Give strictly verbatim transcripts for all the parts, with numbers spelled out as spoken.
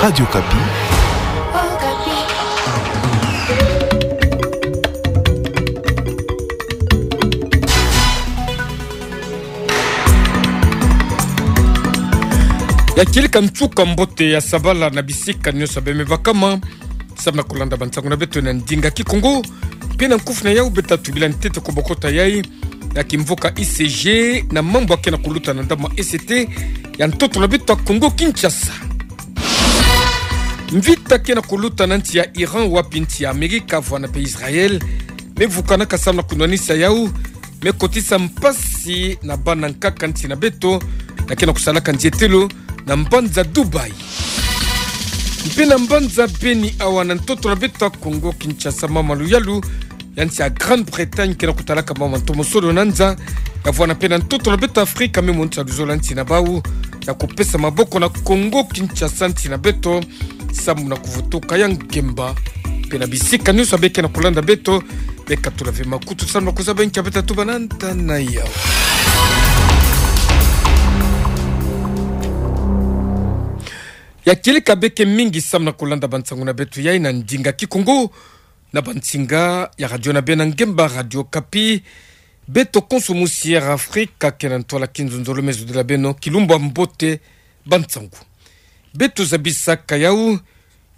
Radio Okapi. Ya kieleka nsuka mbote ya sabala na bisika nyonso bemebakama. Samu na kulanda bansangu na beto na ndinga Kikongo, mpe na nkufi na yau beta tubila ntete kubokota yai ya kimvuka I C G na mambu akena kuluta na ndambu ya E C T ya ntoto na beto ya Kongo Kinshasa. Mvita kena kuluta na nsi ya Iran wapi nsi ya Amerika vwana mpe Israël mevukanaka samu na kunwanisa yau, mekotisa mpasi na bana nkaka nsi na beto, na kena kusalaka nzietelo na mbanza Dubaï. Mpe na mbanza beni awa na ntoto na beto ya Kongo Kinshasa, mama luyalu ya nsi ya Grande-Bretagne kena kutalaka mama ntomo solo na nza, ya vwana mpe na ntoto na beto Afrika me monisa luzolo ya nsi na bau ya kupesa maboko na Kongo Kinshasa nsi na beto, samu na kuvutuka ya ngemba. Mpe na bisika nyonso bekena kulanda beto, bekatula ve makutu samu na kuzaba nkia beta tuba na nta na yau. Ya kieleka beke mingi samu na kulanda bansangu na beto yai na ndinga Kikongo, na bansinga ya radio na beno ya ngemba, Radio Okapi. Beto konso musi Air Afrika kena ntwala kinzonzolo me zodila beno kilumbu ya mbote bansangu. Beto zabisaka yau,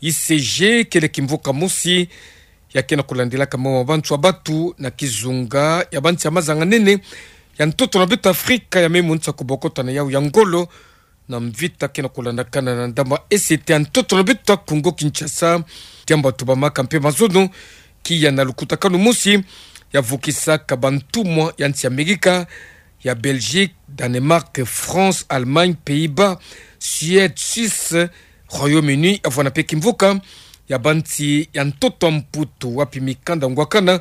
I C G kele kimvuka mosi ya kena kulandilaka mawa ma bantu ya batu na kizunga ya bansi ya mazanga-nene ya ntoto na beto Afrika, ya me monisa kubokota na yau ya ngolo na mvita kena kulandakana na ndambu ya E C T ya ntoto na beto ya Kongo Kinshasa. Diambu tubamaka mpe mazono kiya na lukutakanu mosi ya vukisaka bantumwa ya nsi ya Amerika, ya Belgique, Danemark, France, Allemagne, Pays-Bas, Suède, Suisse, Royaume-Uni, ya vwana mpe kimvuka ya bansi ya ntoto ya Mputu, wapi mikanda ngwakana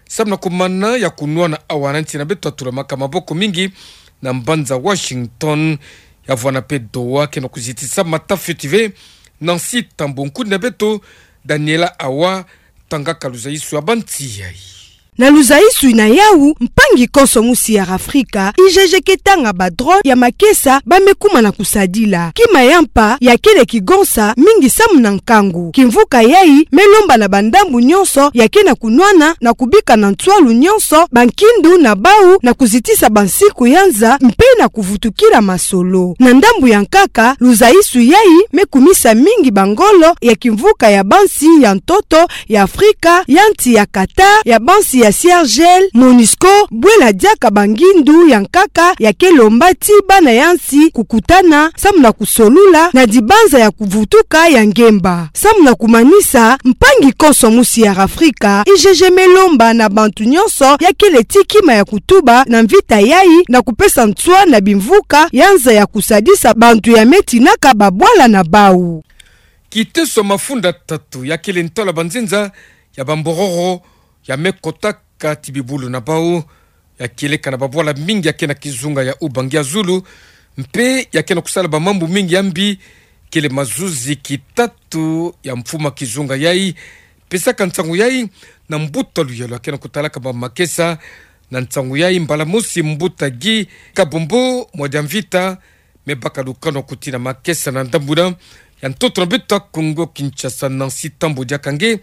samu na kumana ya kunwana awa na nsi na beto ya tulamaka maboko mingi na mbanza Washington, ya vwana mpe Doha, kena kuzitisa mata fioti ve. Nancy Tambo, nkuni na beto Daniela Awa tangaka luzaisu ya bansi yai. Na luzaisu na yau, mpangi konso musi Air Afrika, I G G ke tanga ba drone ya makesa ba me kuma na kusadila. Kima ya mpa ya kele kigonsa mingi samu na nkangu. Kimvuka yai me lomba na bandambu nyonso ya kena kunwana na kubika na nswalu nyonso bankindu na bau na kuzitisa bansiku ya nza mpe na kuvutukila masolo. Na ndambu ya nkaka, luzaisu yai me kumisa mingi bangolo ya kimvuka ya bansi ya ntoto ya Afrika, ya nsi ya Qatar, ya bansi ya Seychelles, MONUSCO, bwela diaka bangindu ya nkaka ya ke lomba ti bana ya nsi kukutana samu na kusolula na dibanza ya kuvutuka ya ngemba. Samu na kumanisa, mpangi konso musi Air Afrika, I G G me lomba na bantu nyonso ya kele ti kima ya kutuba na mvita yai na kupesa nswa na bimvuka ya nza ya kusadisa bantu ya me tinaka babwala na bau. Kiteso mafunda tatu ya kele ntwala banzenza ya bambororo ya me kotaka ti bibulu na bau, ya kieleka na babwala mingi ya ke na kizunga ya Ubangi ya zulu, mpe ya ke na kusala bamambu mingi ya mbi, kele mazuzi kitatu ya mfumu ya kizunga yai pesaka nsangu yai na mbuta luyalu ya ke na kutalaka ba makesa na nsangu yai. Mbala mosi mbuta Guy Kabombo Mwadiamvita me baka lukanu ya kutina makesa na ndambu na ya ntoto na beto ya Kongo Kinshasa, Nancy Tambo diaka nge,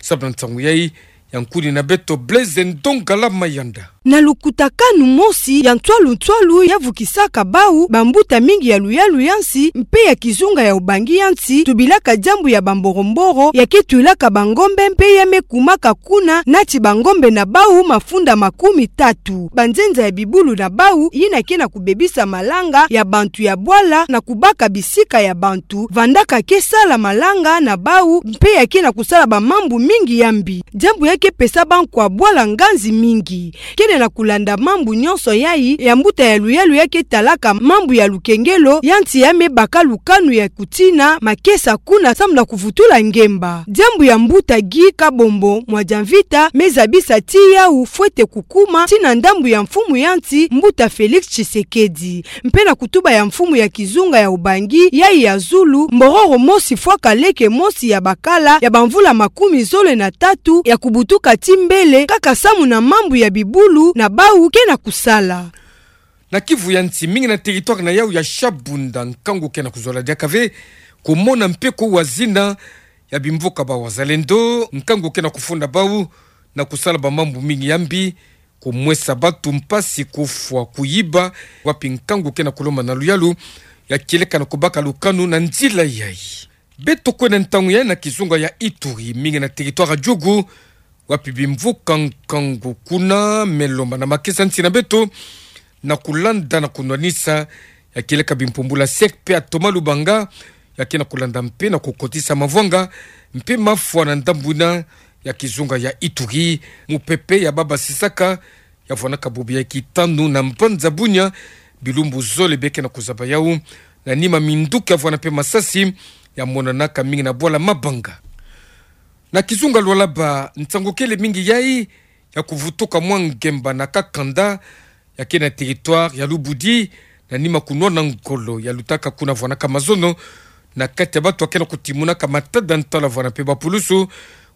samu na nsangu yai ya nkuni na beto Blaise Ndongala Mayanda. Na lukutakanu mosi ya nswalu nswalu ya vukisaka bau bambuta mingi ya luyalu ya nsi mpe ya kizunga ya Ubangi ya nsi, tubilaka diambu ya bamboromboro ya ke twilaka bangombe mpe ya me kumaka kuna nati bangombe na bau mafunda makumi tatu. Banzenza ya bibulu na bau yina ke na kubebisa malanga ya bantu ya bwala na kubaka bisika ya bantu vandaka ke sala malanga na bau, mpe ya ke na kusala bamambu mingi ya mbi. Diambu ya ke pesa bankwa bwala nganzi mingi. Kele na kulanda mambu nyonso yai ya mbuta ya luyalu ya ke talaka mambu ya lukengelo ya nsi ya me baka lukanu ya kutina makesa kuna samu na kuvutula ngemba. Diambu ya mbuta Guy Kabombo Mwadiamvita me zabisa ti yau fwete kukuma ti na ndambu ya mfumu ya nsi, mbuta Félix Tshisekedi, mpe na kutuba ya mfumu ya kizunga ya Ubangi yai ya zulu, mbororo mosi fwaka leke mosi ya bakala ya bamvula makumi zole na tatu ya kubutuka ti mbele, kaka samu na mambu ya bibulu na bau ke na kusala. Na Kivu ya nsi mingi na territoire na yau ya Shabunda, nkangu ke na kuzola diaka ve, kumona mpe kuwa zina ya bimvuka ba wazalendo, nkangu ke na kufunda bau na kusala bamambu mingi ya mbi, kumwesa batu mpasi, kufwa, kuyiba, wapi nkangu ke na kulomba na luyalu ya kieleka na kubaka lukanu na nzila yayi. Beto kwenda ntangu yayi na kizunga ya Ituri, mingi na territoire ya Djugu, wapi bimvuka nkangu kuna me lomba na makesa nsi na beto, na kulanda na kunwanisa ya kieleka bimpumbula sec mpe ya Thomas Lubanga, ya ke na kulanda mpe na kukotisa mavwanga mpe mafwa na ndambu yina ya kizunga ya Ituri. Mupepe ya babasisaka ya vwanaka bubu ya kitanu na mbanza Bunia, bilumbu zole be ke na kuzaba yau, na nima minduki ya vwana mpe masasi ya monanaka mingi na bwala Mabanga. Na kizunga Lualaba, nsangu kele mingi yayi ya kuvutuka mwa ngemba na kakanda ya ke na territoire ya Lubudi, na nima kunwana ngolo ya lutaka kuna vwanaka mazono na kati ya batu ya ke na kutimunaka matada ntalo ya vwana mpe bapulusu,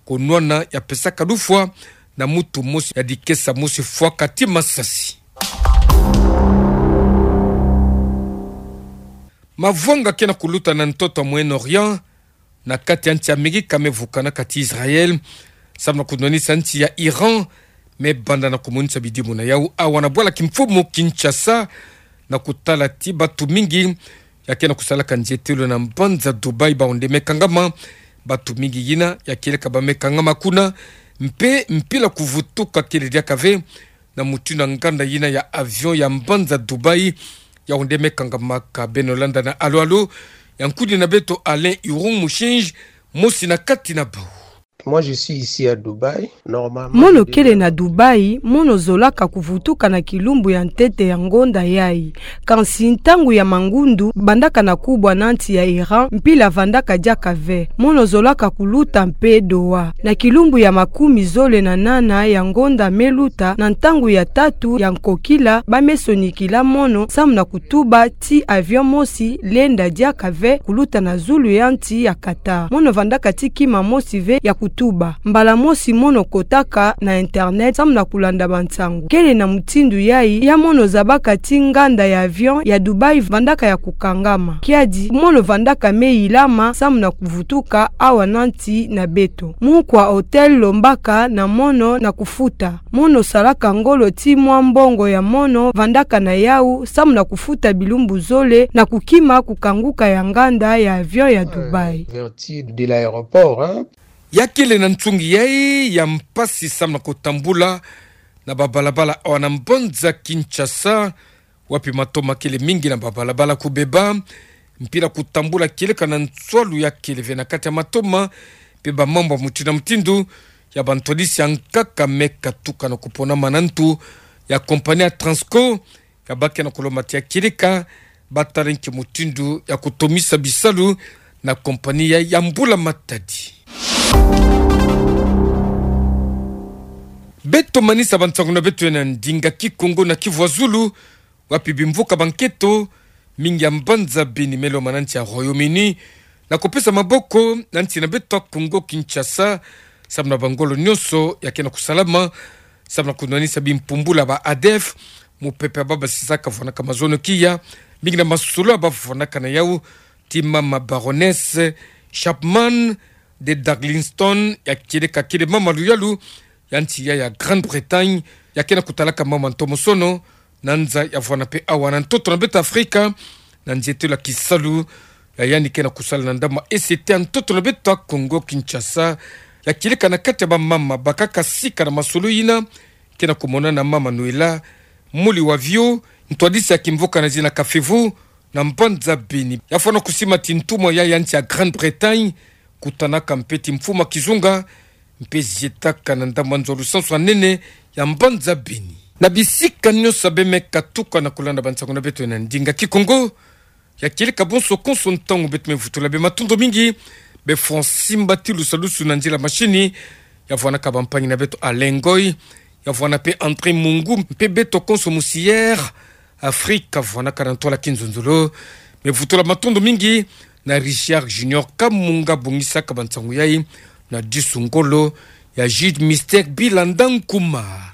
kunwana ya pesaka lufwa na mutu mosi ya dikesa mosi fwaka ti masasi. Mavwanga ke na kuluta na ntoto ya Moyen-Orient, na kati ya nsi ya Amerika me vukanaka ti Israël, samu na kunwanisa nsi ya Iran me banda na kumonisa bidimu na yau awa na bwala kimfumu Kinshasa, na kutala ti batu mingi ya ke na kusalaka nzietelo na mbanza Dubaï, bawu nde me kangama. Batu mingi yina ya kieleka ba me kangama kuna, mpe mpila kuvutuka kele diaka ve, na mutindu ya nganda yina ya avion ya mbanza Dubaï, yawu nde me kangamaka. Beno landa na alo-alo ya nkudi na beto Alain Irung Mushinji, mosi na kati na bau. Moi, je suis ici à Dubaï. Normalement, mono je kele devais na Dubaï, mono zolaka kuvutuka na kilumbu ya ntete ya ngonda yayi. Kansi ntangu ya mangundu, bandaka na kubwa na nsi ya Iran, mpila vandaka diaka ve. Mono zolaka kuluta mpe Doha. Na kilumbu ya makumi zole na nana ya ngonda me luta, na ntangu ya tatu ya nkokila, ba me sonikila mono, samu na kutuba ti avion mosi lenda diaka ve kuluta na zulu ya nsi ya Qatar. Mono vandaka ti kima mosi ve ya kutuba. Mbala mosi mono kotaka na internet samu na kulanda bansangu. Kele na mutindu yayi ya mono zabaka ti nganda ya avion ya Dubaï vandaka ya kukangama. Kiadi mono vandaka me yilama samu na kuvutuka awa na nsi na beto. Munkwa hôtel lombaka na mono na kufuta. Mono salaka ngolo ti mwa mbongo ya mono vandaka na yau samu na kufuta bilumbu zole na kukima kukanguka ya nganda ya avion ya Dubaï. Vertu de l'aéroport, hein. Ya kele na nsungi yayi ya mpasi samu na kutambula na babalabala awa na mbanza Kinshasa, wapi matoma kele mingi na babalabala kubeba, mpila kutambula kieleka na nswalu ya kele ve na kati ya matoma, mpe bamambu ya mutindu na mutindu ya bantwadisi ya nkaka me katuka na kuponama na ntu ya compagnie ya Transco, ya ba ke na kulomba ti ya kieleka ba tala nki mutindu ya kutomisa bisalu na compagnie ya, ya mbula matadi. Beto manisa bansangu na beto na ndinga Kikongo na Kivuazulu, wapi bimvuka ba nkento mingi ya mbanza Beni me lomba na nsi ya Royaume-Uni na kupesa maboko na nsi na beto ya Congo Kinshasa, samu na bangolo nyonso ya ke na kusalama samu na kunwanisa bimpumbula ba ADF, mupepe ya babasisaka vwanaka mazono kiya, mingi na masolo ya ba vwanaka na yau, ti mama Baroness Chapman de Darlingston, ya kieleka kele mama luyalu ya nsi ya, ya Grande-Bretagne, ya ke na kutalaka mama ntomosono na nza ya vwana mpe awa na ntoto na beto Afrika, na nzietelo ya kisalu ya yandi ke na kusala na ndambu ya E C T ya ntoto na beto ya Congo Kinshasa. Ya kieleka na kati ya bamama bakaka sika na masolo yina, ke na kumonana na mama Noëlla Muliwavio, ntwadisi ya kimvuka na zina Kafevu, na mbanza Beni. Ya fwana kusima ti ntumwa ya, ya nsi ya Grande-Bretagne, kutanaka mpe ti mfumu ya kizunga, mpe zietaka na ndambu ya nzo ya lusansu ya nene ya mbanza Beni. Na bisika nyonso ya beno me katuka na kulanda bansangu na beto na ndinga Kikongo, ya kieleka bonso konso ntangu beto me vutula beno matondo mingi. Be Francis Mbati Lusalusu na nzila machine, ya vwanaka bampangi na beto Alain Ngoy, ya vwana mpe André Mungu, mpe beto konso musière Afrika vwanaka na ntwala kinzonzolo. Me vutula matondo mingi na Richard Junior Kamunga bongisaka bansangu yayi, na disu ngolo ya Jude Mystère Bilanda Nkuma.